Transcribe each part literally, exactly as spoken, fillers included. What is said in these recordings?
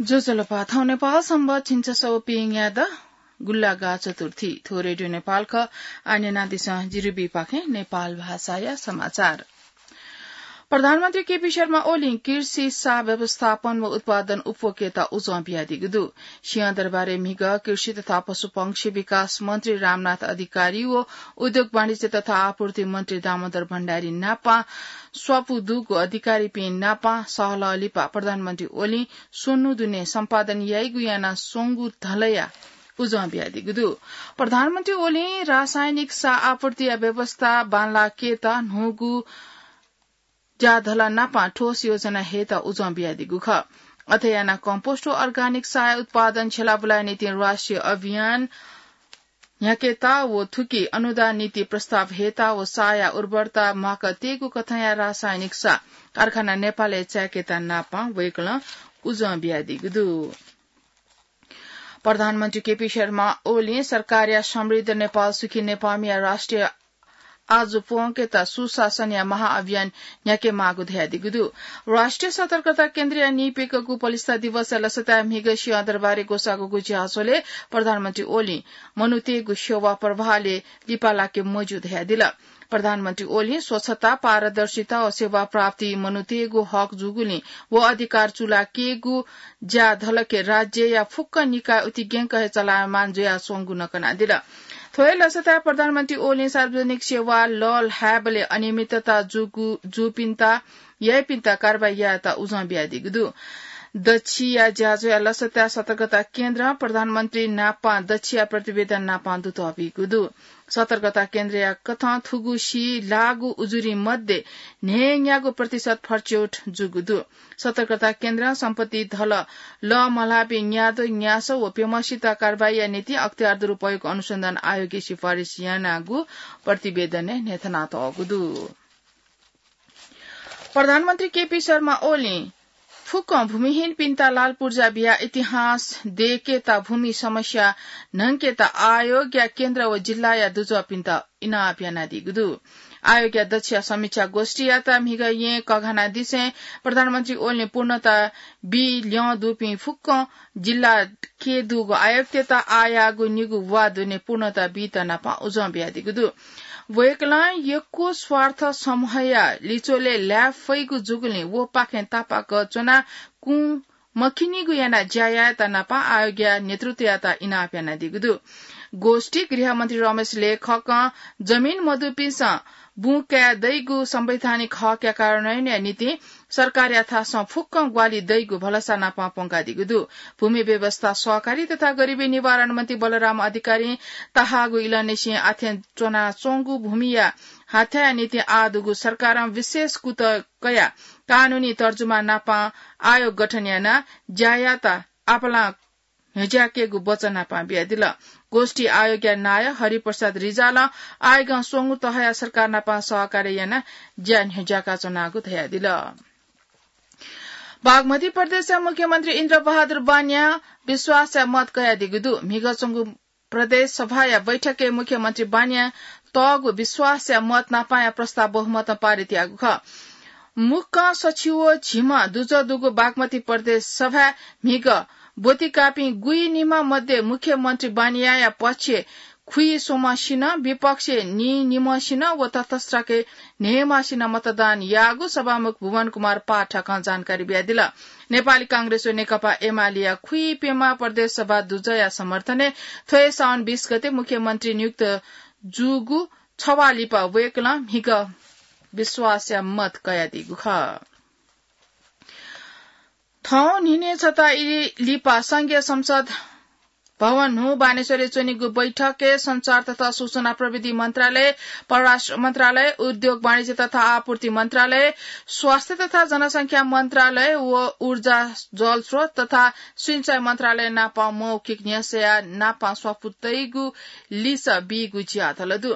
ज्वजलपा, थौं नेपाल संवत् झिंछसः व प्यंगू न्यादँ गुंलागा चतुर्थी। थ्व रेडियो नेपाल खः। आः न्यनादिसँ जिरुबीपाखें नेपाल भाषाया समाचार। प्रधानमन्त्री केपी शर्मा ओलीं कृषि सा व्यवस्थापन व उत्पादन उपभोगयात उजं बियादीगु दु। सिंहदरबारय् म्हिगः कृषि तथा पशुपंक्षी विकास मन्त्री रामनाथ अधिकारी व उद्योग वाणिज्य तथा आपूर्ति मन्त्री दामोदर भण्डारी नापं स्वापू दुगु अधिकारीपिं नापं सहलह लिपा प्रधानमन्त्री ओलीं स्वन्हु दुने सम्पादन याइगु यानाः स्वंगु धलया उजं बियादीगु दु। प्रधानमन्त्री ओलीं रासायनिक सा आपूर्तिया व्यवस्था बांलाकेत न्हूगु ज्याधला नापं ठोस योजना हयेत उजं बियादीगु खः। अथे यानाः कम्पोस्ट व अर्गानिक साया उत्पादन छ्यलाबुलाया निंतिं राष्ट्रिय अभियान न्ह्याकेत व थुकी अनुदान नीति प्रस्ताव हयेत व साया उर्वरता म्वाकातयेगु कथंया रासायनिक सा कारखाना नेपालय् चायेकेत नापं वय्कलं उजं बियादीगु दु। प्रधानमन्त्री केपी शर्मा ओलीं सरकारया समृद्ध नेपाल सुखी नेपालया राष्ट्रिय आजु प्वंकेत सुशासनया महाअभियान न्ह्याकेमाःगु धयादीगु दु। राष्ट्रिय सतर्कता केन्द्रया नीप्यघौ पलिस्था दिवसया लसताय् म्हिगः सिंहदरबारय् ग्वसाःगु ज्याझ्वलय् प्रधानमन्त्री ओलीं मनूतय्गु सेवा प्रवाहय् लिपा लाके मज्यू धयादिल। प्रधानमन्त्री ओलीं स्वच्छता, पारदर्शिता व सेवा प्राप्ति मनूतय्गु हक जूगुलिं व अधिकार चूलाकेगु ज्याधलके राज्यया फुक्क निकाय उतिग्यंक हे चलायमान जुयाच्वंगु नं कनादिल। थ्व हे लसताय् प्रधानमन्त्री ओलीं सार्वजनिक सेवा लःल्हायेबलय् अनियमितता जूगु, जूपिन्त, याइपिन्त कारवाही यायेत उजं बियादीगु दु। दच्छिया ज्याझ्वःया लसताय् सतर्कता केन्द्रं प्रधानमन्त्री नापं दच्छिया प्रतिवेदन नापं दुत हःपिगु दु। सतर्कता केन्द्रया कथं थुगु सी लाःगु उजुरी मध्ये न्हय्न्यागू प्रतिशत फरच्यौट जूगु दु। सतर्कता केन्द्रं सम्पत्ति धल लःमल्हाःपिं न्याद्वः न्यासः व प्यम्हसित कारवाहीया निंतिं अख्तियार दुरुपयोग अनुसन्धान आयोगय् सिफारिस यानागु प्रतिवेदनय् न्ह्यथनातःगु दु। प्रधानमन्त्री केपी शर्मा ओलीं फुक्कं भूमिहीनपिन्त लालपुर्जा बियाः इतिहास दयेकेत भूमि समस्या न्हंकेत आयोगया केन्द्र व जिल्लाया दुजःपिन्त इनाप यानादीगु दु। आयोगया दच्छिया समीक्षा गोष्ठीयात म्हिगः येँ कघानादिसें प्रधानमन्त्री ओलीं पूर्णता बी ल्यं दुपिं फुक्कं जिल्ला के दुगु आयुक्तयात आःयाःगु निगू वा दुने पूर्णता बीत नापं उजं बियादीगु दु। वय्कलं यक्व स्वार्थ समूहया लिच्वलय् लाये फइगु जूगुलिं वपाखें तापाक च्वनाः कुं मखिनिगु यानाः ज्या यायेत नापं आयोगया नेतृत्वयात इनाप यानादीगु दु। गोष्ठी गृहमन्त्री रमेश लेखकं जमिन मदुपिन्सं बुँ काये दइगु संवैधानिक हकया कार्यान्वयनया निंतिं सरकारयाथासं फुक्कं ग्वाहालि दइगु भलसा नापं प्वंकादीगु दु। भूमि व्यवस्था सहकारी तथा गरिबी निवारण मन्त्री बलराम अधिकारीं तःहाःगु इलंनिसें आथें च्वनाच्वंगु भूमिया हाथ्याया निंतिं आः दुगु सरकारं विशेष कुतः कयाः कानूनी तर्जुमा नापं आयोग गठन यानाः ज्या यायेत आपालं न्ह्यज्याकेगु वचन नापं बियादिल। गोष्ठी आयोगया नायः हरिप्रसाद रिजालं आयोगं स्वंगू तहया सरकार नापं सहकार्य यानाः ज्या न्ह्यज्याकाच्वनागु धयादिल। बागमती प्रदेशया मुख्यमन्त्री इन्द्रबहादुर बानियां विश्वासया मत कयादीगु दु। म्हिगः च्वंगु प्रदेश सभाया बैठकय् मुख्यमन्त्री बानियां तःगु विश्वासया मत नापांया प्रस्ताव बहुमतं पारित याःगु खः। मुक्कं सछि व झिम्ह दुजः दुगु बागमती प्रदेश सभाय् म्हिगः ब्वति काःपिं गुइनिम्ह मध्ये मुख्यमन्त्री बानियाया पक्षय् खुइस्वम्हसिनं, विपक्षय् नीनिम्हसिनं व तटस्थके न्हय्म्हसिनं मतदान याःगु सभामुख भुवन कुमार पाठकं जानकारी बियादिल। नेपाली कांग्रेस व नेकपा एमालेया खुइप्यम्ह प्रदेश सभा दुजःया समर्थनय् थ्व हे साउन बीस गते मुख्यमन्त्री नियुक्त जूगु छवाः लिपा वय्कलं म्हिगः विश्वासया मत कयादीगु खः। थौं न्हिनय् छता ई लिपा संघीय संसद भवन न्हू बानेश्वरय् च्वनीगु बैठकय् सञ्चार तथा सूचना प्रविधि मन्त्रालय, परराष्ट्र मन्त्रालय, उद्योग वाणिज्य तथा आपूर्ति मन्त्रालय, स्वास्थ्य तथा जनसंख्या मन्त्रालय व ऊर्जा जलस्रोत तथा सिँचाइ मन्त्रालय नाप मौखिक न्ह्यसःया नाप स्वापू तइगु लिसः बीगु ज्याझ्वः दु।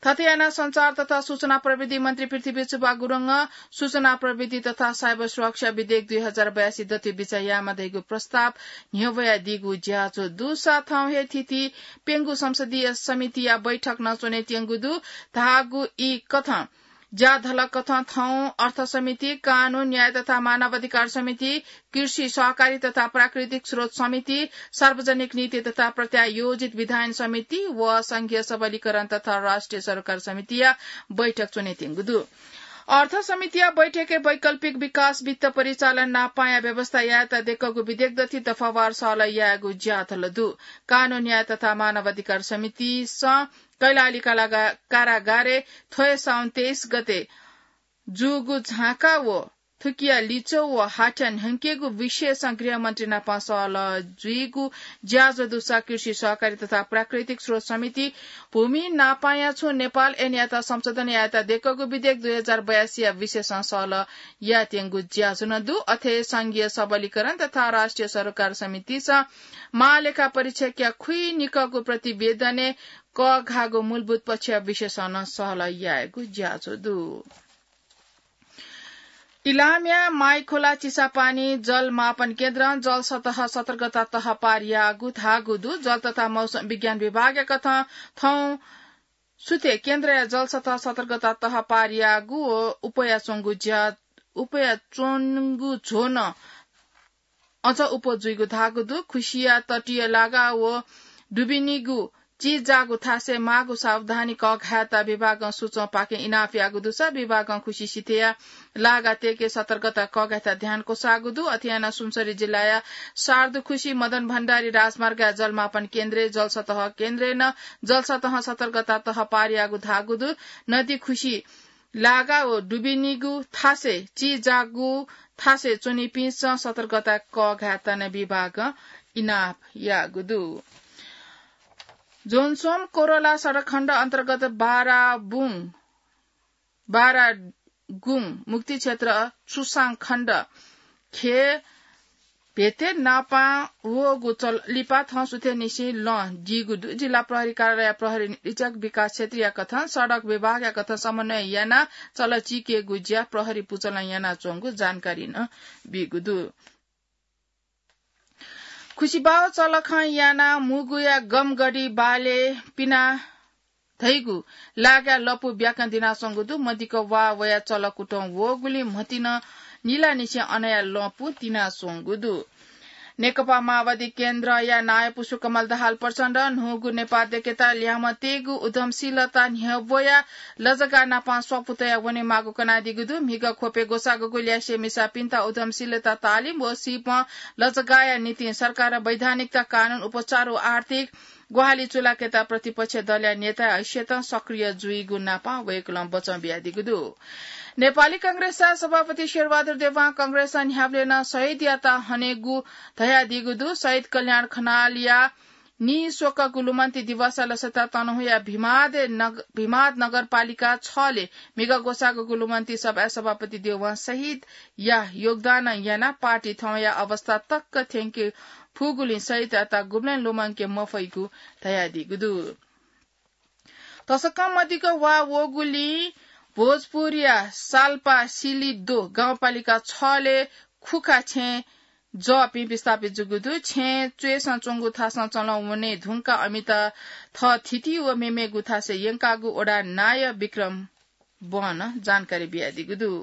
थथे यानाः सञ्चार तथा सूचना प्रविधि मन्त्री पृथ्वी सुब्बा गुरुङं सूचना प्रविधि तथा साइबर सुरक्षा विधेयक दुई हजार बयासी दथुइ बिचाः यायेमाः धइगु प्रस्ताव न्ह्यब्वयादीगु ज्याझ्वः दुसा थौं हे थीथी प्यंगू संसदीय समितिया बैठक नं च्वनेत्यंगु दु धाःगु ई कथं ज्याझ्वलकथं थौं अर्थ समिति, कानून, न्याय तथा मानवाधिकार समिति, कृषि, सहकारी तथा प्राकृतिक स्रोत समिति, सार्वजनिक नीति तथा प्रत्यायोजित विधायन समिति व संघीय सबलीकरण तथा राष्ट्रिय सरोकार समितिया बैठक च्वनेत्यंगु दु। अर्थ समितिया बैठकय् वैकल्पिक विकास वित्त परिचालन नापांया व्यवस्था यायेत देकःगु विधेयक दथि दफावार सहलह यायेगु ज्याझ्वल दु। कानून, न्याय तथा मानवाधिकार समितिसं कैलाली कालागा-, कारागारय् थ्व साउन तेइस गते जूगु झाँका व थुकिया लिच्वः व हाथ्या न्ह्यंकेगु विषयसं गृहमन्त्री नाप सहलह जुइगु ज्याझ्वः दुसा कृषि, सहकारी तथा प्राकृतिक स्रोत समिति, भूमि नापांया छुं नेपाल ऐनयात संशोधन यायेत देकःगु विधेयक दुई हजार बयासीया विषयसं सहलह यायेत्यंगु ज्याझ्वः नं दु। अथे संघीय सबलीकरण तथा राष्ट्रिय सरोकार समितिसं महालेखा परीक्षकया खुइनिकःगु प्रतिवेदनय् कःघाःगु मूलभूत पक्षया विषयसं नं सहलह यायेगु ज्याझ्वः दु। इलामया माइखोला चिसापानी जलमापन केन्द्रं जलसतह सतर्कता तह पार याःगु धाःगु दु। जल तथा मौसम विज्ञान विभागया कथं थौं सुथे केन्द्रया जलसतह सतर्कता तह पार याःगु व उपया च्वंगु ज्या-, उपया च्वंगु झ्वः नं अझ उप जुइगु धाःगु दु। खुसिया तटीय लागा व डुबिनीगु चिजाःगु थासय् माःगु सावधानी कःघायेत विभागं सूचं पाखें इनाप याःगु दुसा विभागं खुसि सिथय्‌या लागा तयेके सतर्कता कःघायेत ध्यान क्वसाःगु दु। अथे यानाः सुनसरी जिल्लाया सार्दु खुसि मदन भण्डारी राजमार्गया जलमापन केन्द्रय् जलसतह केन्द्रय् नं जलसतहं सतर्कता तह पार याःगु धाःगु दु। नदी खुसि लागा व डुबिनीगु थासय् चिजाःगु थासय् च्वनीपिन्सं सतर्कता कःघायेत नं विभागं इनाप याःगु दु। जोन्सोम कोरोला सडक खण्ड अन्तर्गत बाराबुङ, बारागुङ मुक्ति क्षेत्र चुसाङ खण्ड खे भेते नापां वःगु चल-, लिपा थौं सुथय्‌निसें लँ दीगु दु। जिल्ला प्रहरी कार्यालय प्रहरी निरीक्षक विकास क्षेत्रीया कथं सडक विभागया कथं समन्वय यानाः चल चीकेगु ज्या प्रहरी पुचलं यानाच्वंगु जानकारी नं बीगु दु। खुसिबाव चलखं यानाः मुगुया गमगढी बाले पिना धइगु लागाय् लँपु ब्याकं दिनाच्वंगु दु। मदिक्क वा वया चलकुटं वःगुलिं म्हतिनं निलानिसें अनया लँपु तिनाच्वंगु दु। नेकपा माओवादी केन्द्रया नायः पुष्पकमल दाहाल प्रचण्ड न्हूगु नेपाः दय्‌केत ल्याय्म्ह तयेगु उद्यमशीलता न्ह्यब्वया लजगाः नाप स्वापू तया वनेमाःगु कनादीगु दु। म्हिगः ख्वपय् ग्वसाःग्वःगु ल्यासे मिसापिन्त उद्यमशीलता तालिम व सिपं लजगाःया निंतिं सरकारं वैधानिकता, कानून, उपचार व आर्थिक ग्वाहालि चूलाकेत प्रतिपक्ष दलया नेताया हैसियतं सक्रिय जुइगु नाप वय्‌कलं बचं बियादीगु दु। नेपाली कांग्रेसया सभापति शेरबहादुर देवां कांग्रेसं न्ह्याबलें नं शहीदयात हनेगु धयादीगु दु। शहीद कल्याण खनालया नीस्वकःगु लुमन्ति दिवसया लसता तनहुँया भिमाद नग-, भिमाद नगरपालिका छले म्हिगः ग्वसाःग्वःगु लुमन्ति सभाय् सभापति देवां शहीदया योगदान यानाः पार्टी थौंया अवस्था तक थ्यंके फुगुलिं शहीदयात गुबलें लुमंके मफइगु धयादीगु दु। तसकं मदिक्क वा वःगुलिं भोजपुरया साल्पा सिलिदो गाउँपालिका छले खुखा छेँ जःपिं विस्थापित जूगु दु। छेँ च्वय्‌सं च्वंगु थासं चलं वने धुंकाः अमित थःथिति व मेमेगु थासय् यंकागु वडा नायः विक्रम बनं जानकारी बियादीगु दु।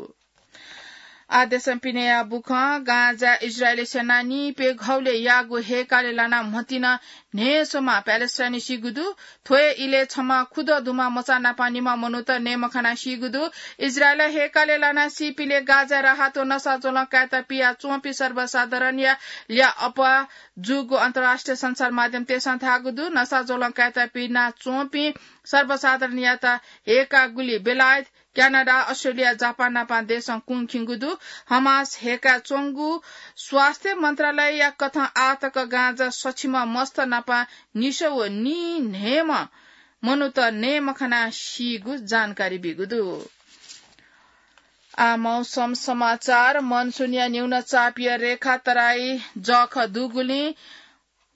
आः देशं पिनेया बुखँ। गाजाय् इजरायली सेनां निइप्यघौलय् याःगु हेकालय् लानाः म्हतिनं न्हय्‌स्वम्ह प्यालेस्टाइनी सीगु दु। थ्व हे इलय् छम्ह खुदँ दुम्ह मचा नाप निम्ह मनूत नये मखनाः सीगु दु। इजरायलं हेकालय् लानाः सीपिंलय् गाजाय् राहत व नसा ज्वलं कायेत पियाच्वंपिं सर्वसाधारणया ल्याः अप्वः जूगु अन्तर्राष्ट्रिय सञ्चार माध्यमतय्‌सं धाःगु दु। नसा ज्वलं कायेत पिनाच्वंपिं सर्वसाधारणयात हेकागुली बेलायत, क्यानाडा, अस्ट्रेलिया, जापान नापं देशं कुंखिंगु दु। हमास हेकाच्वंगु स्वास्थ्य मन्त्रालयया कथं आःतक गाँजा सछिम्ह मस्त नापं निसः व नीन्हय्‌म्ह मनूत नये मखनाः सीगु जानकारी बीगु दु। आः मौसम समाचार। मनसुनया न्यूनचापया रेखा तराई जःखः दुगुलिं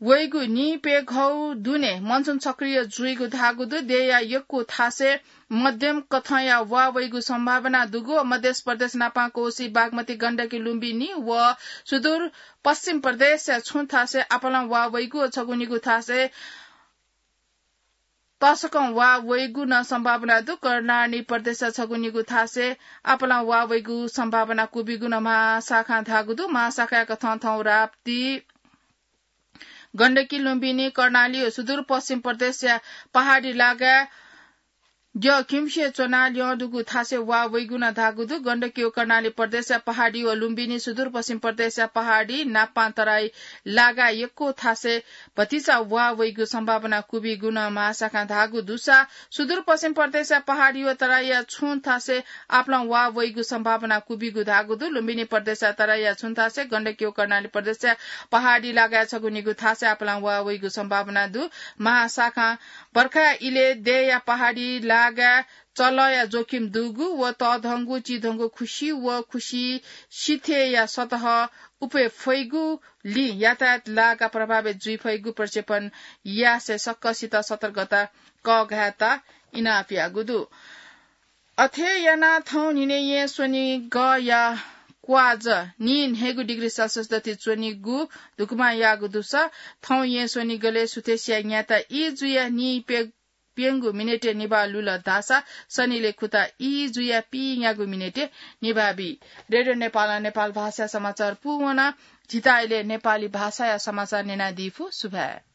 वइगु निइप्यघौ दुने मनसुन सक्रिय जुइगु धाःगु दु। देय्‌या यक्व थासय् मध्यम कथंया वा वइगु सम्भावना दुगु। मध्य प्रदेश नापं कोसी, बागमती, गण्डकी, लुम्बिनी व सुदूर पश्चिम प्रदेशया छुं थासय् आपालं वा वइगु व छगू निगू थासय् तसकं वा वइगु नं सम्भावना दु। कर्णाली प्रदेशया छगू निगू थासय् आपालं वा वइगु सम्भावना क्वबिगु नं महाशाखां धाःगु दु। महाशाखाया कथं थौं राप्ती, गण्डकी, लुम्बिनी, कर्णाली व सुदूरपश्चिम प्रदेशया पहाडी लागाय् द्यः खिम्हसिया च्वनाः ल्यं दुगु थासय् वा वइगु नं धाःगु दु। गण्डकी व कर्णाली प्रदेशया पहाडी व लुम्बिनी सुदूरपश्चिम प्रदेशया पहाडी नापां तराई लागाय् यक्व थासय् भतिचा वा वइगु सम्भावना क्वबिगु नं महाशाखां धाःगु दुसा सुदूरपश्चिम प्रदेशया पहाडी व तराईया छुं थासय् आपालं वा वइगु सम्भावना क्वबिगु धाःगु दु। लुम्बिनी प्रदेशया तराईया छुं थासय्, गण्डकी व कर्णाली प्रदेशया पहाडी लागाय् छगू निगू थासय् आपालं वा वइगु सम्भावना दु। महाशाखां बर्खाया इलय् देय्‌या पहाडी लागाय् चलःया जोखिम दुगु व तःधंगु, चिधंगु खुसि व खुसि सिथय्‌या सतह उफे फइगुलिं यातायात लागा प्रभावित जुइ फइगु प्रक्षेपण यासें सकसित सतर्कता कःघायेत इनाप याःगु दु। अथे यानाः थौं न्हिनय् येँ स्वनिगःया क्वाज नीन्हय्‌गू डिग्री सेल्सियस दथुइ च्वनीगु धुकुमां याःगु दुसा थौं येँ स्वनिगलय् सुथसिया न्याता ई जुयाः नीप्यंगू मिनेटय् निभाः लुल धाःसा सनिलय् खुता ई जुयाः पीन्यागू मिनेटय् निभाः बी। रेडियो नेपालं नेपाल भाषाया समाचार पूवन। झीत अले नेपाली भाषाया समाचार न्यनादीफु। सुभाय्।